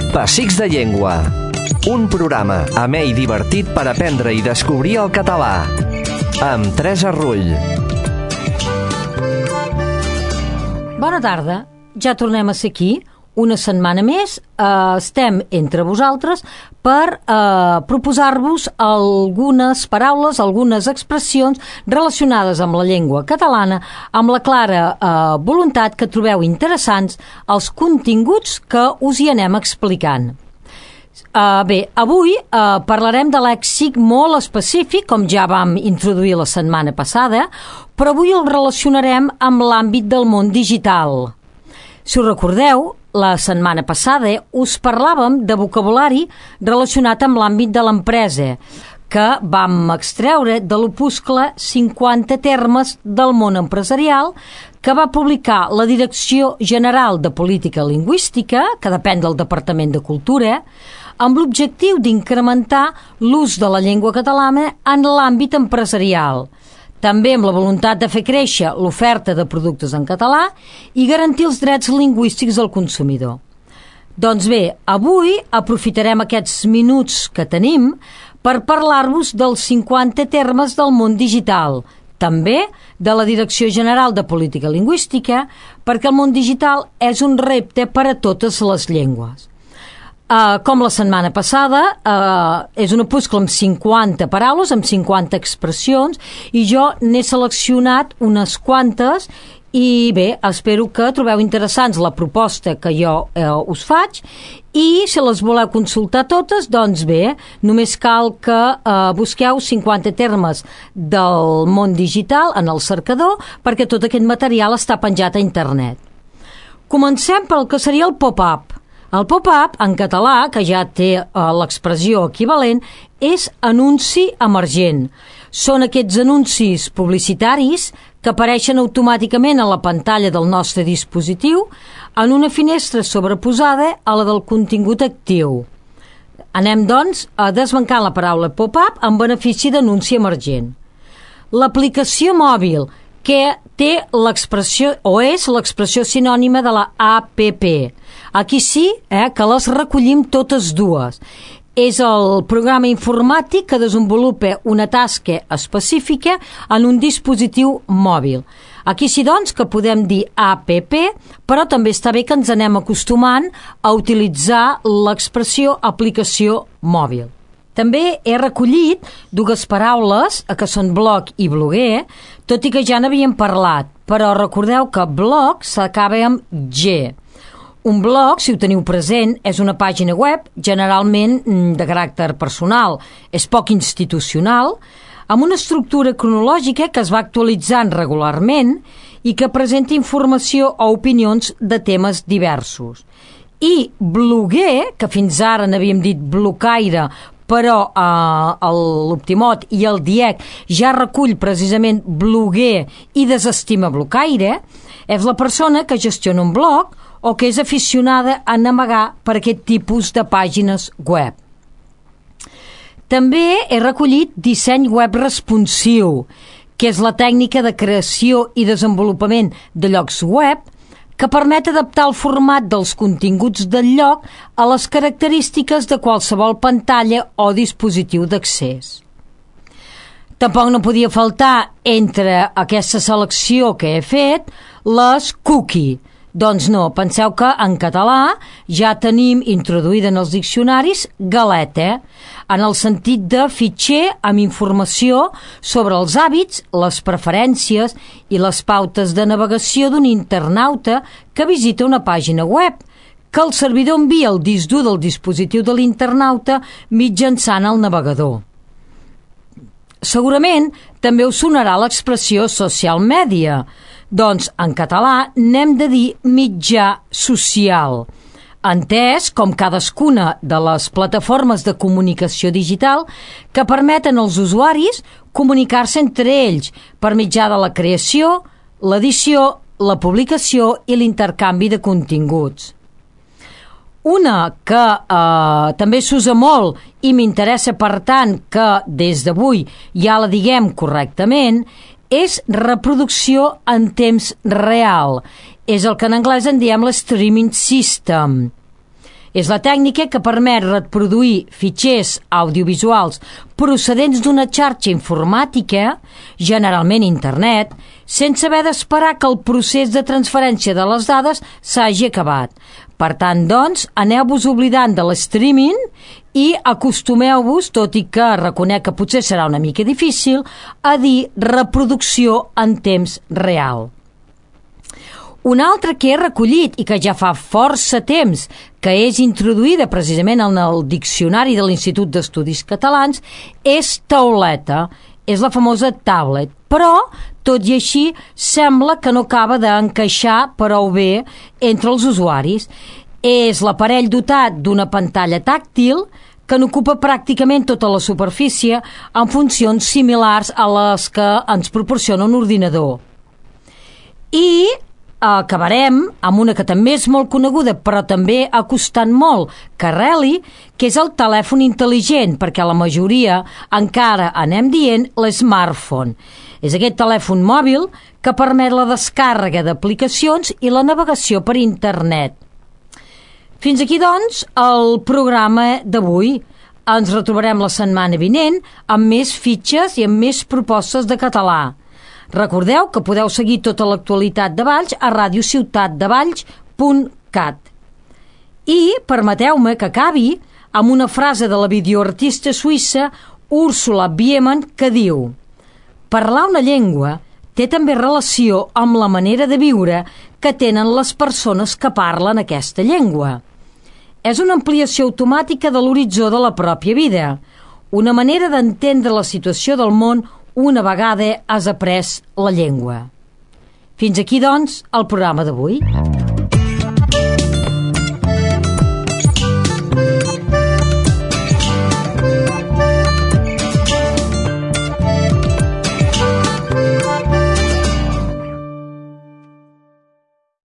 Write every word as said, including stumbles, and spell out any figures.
Pessics de Llengua, un programa amè i divertit per aprendre i descobrir el català, amb Teresa Rull. Bona tarda, ja tornem a ser aquí, una setmana més. Eh, estem entre vosaltres per eh, proposar-vos algunes paraules, algunes expressions relacionades amb la llengua catalana, amb la clara eh, voluntat que trobeu interessants els continguts que us hi anem explicant. Uh, bé, avui uh, parlarem de lèxic molt específic, com ja vam introduir la setmana passada, però avui el relacionarem amb l'àmbit del món digital. Si us recordeu, la setmana passada us parlàvem de vocabulari relacionat amb l'àmbit de l'empresa, que vam extreure de l'opuscle cinquanta termes del món empresarial, que va publicar la Direcció General de Política Lingüística, que depèn del Departament de Cultura, amb l'objectiu d'incrementar l'ús de la llengua catalana en l'àmbit empresarial, també amb la voluntat de fer créixer l'oferta de productes en català i garantir els drets lingüístics del consumidor. Doncs bé, avui aprofitarem aquests minuts que tenim per parlar-vos dels cinquanta termes del món digital, també de la Direcció General de Política Lingüística, perquè el món digital és un repte per a totes les llengües. Uh, com la setmana passada, uh, és un opuscle amb cinquanta paraules, amb cinquanta expressions, i jo n'he seleccionat unes quantes i bé, espero que trobeu interessants la proposta que jo eh, us faig, i si les voleu consultar totes, doncs bé, només cal que eh, busqueu cinquanta termes del món digital en el cercador, perquè tot aquest material està penjat a internet. Comencem pel que seria el pop-up. El pop-up, en català, que ja té eh, l'expressió equivalent, és anunci emergent. Són aquests anuncis publicitaris que apareixen automàticament a la pantalla del nostre dispositiu en una finestra sobreposada a la del contingut actiu. Anem, doncs, a desbancar la paraula pop-up en benefici d'anunci emergent. L'aplicació mòbil, que té l'expressió, o és l'expressió sinònima de la app. Aquí sí eh, que les recollim totes dues. És el programa informàtic que desenvolupa una tasca específica en un dispositiu mòbil. Aquí sí, doncs, que podem dir app, però també està bé que ens anem acostumant a utilitzar l'expressió aplicació mòbil. També he recollit dues paraules, que són blog i bloguer, tot i que ja n'havíem parlat, però recordeu que blog s'acaba amb G. Un blog, si ho teniu present, és una pàgina web generalment de caràcter personal, és poc institucional, amb una estructura cronològica que es va actualitzant regularment i que presenta informació o opinions de temes diversos. I bloguer, que fins ara n'havíem dit blocaire, però eh, l'Optimot i el DIEC ja recull precisament bloguer i desestima blocaire, és la persona que gestiona un blog o que és aficionada a navegar per aquest tipus de pàgines web. També he recollit disseny web responsiu, que és la tècnica de creació i desenvolupament de llocs web que permet adaptar el format dels continguts del lloc a les característiques de qualsevol pantalla o dispositiu d'accés. Tampoc no podia faltar entre aquesta selecció que he fet les cookie. Doncs no, penseu que en català ja tenim introduïda en els diccionaris galeta, en el sentit de fitxer amb informació sobre els hàbits, les preferències i les pautes de navegació d'un internauta que visita una pàgina web, que el servidor envia al disc dur del dispositiu de l'internauta mitjançant el navegador. Segurament també us sonarà l'expressió social media. Doncs en català n'hem de dir mitjà social, entès com cadascuna de les plataformes de comunicació digital que permeten als usuaris comunicar-se entre ells per mitjà de la creació, l'edició, la publicació i l'intercanvi de continguts. Una que eh, també s'usa molt i m'interessa, per tant, que des d'avui ja la diguem correctament, és reproducció en temps real. És el que en anglès en diem l'streaming system. És la tècnica que permet reproduir fitxers audiovisuals procedents d'una xarxa informàtica, generalment internet, sense haver d'esperar que el procés de transferència de les dades s'hagi acabat. Per tant, doncs, aneu-vos oblidant de l'streaming i acostumeu-vos, tot i que reconec que potser serà una mica difícil, a dir reproducció en temps real. Una altra que he recollit i que ja fa força temps que és introduïda precisament en el diccionari de l'Institut d'Estudis Catalans és tauleta, és la famosa tablet, però tot i així sembla que no acaba d'encaixar prou bé entre els usuaris. És l'aparell dotat d'una pantalla tàctil que n'ocupa pràcticament tota la superfície amb funcions similars a les que ens proporciona un ordinador. I acabarem amb una que també és molt coneguda però també ha costat molt que arreli, que és el telèfon intel·ligent, perquè la majoria encara anem dient l'smartphone. És aquest telèfon mòbil que permet la descàrrega d'aplicacions i la navegació per internet. Fins aquí, doncs, el programa d'avui. Ens retrobarem la setmana vinent amb més fitxes i amb més propostes de català. Recordeu que podeu seguir tota l'actualitat de Valls a radiociutatdevalls punt cat. I permeteu-me que acabi amb una frase de la videoartista suïssa Ursula Biemann que diu: parlar una llengua té també relació amb la manera de viure que tenen les persones que parlen aquesta llengua. És una ampliació automàtica de l'horitzó de la pròpia vida, una manera d'entendre la situació del món una vegada has après la llengua. Fins aquí, doncs, el programa d'avui.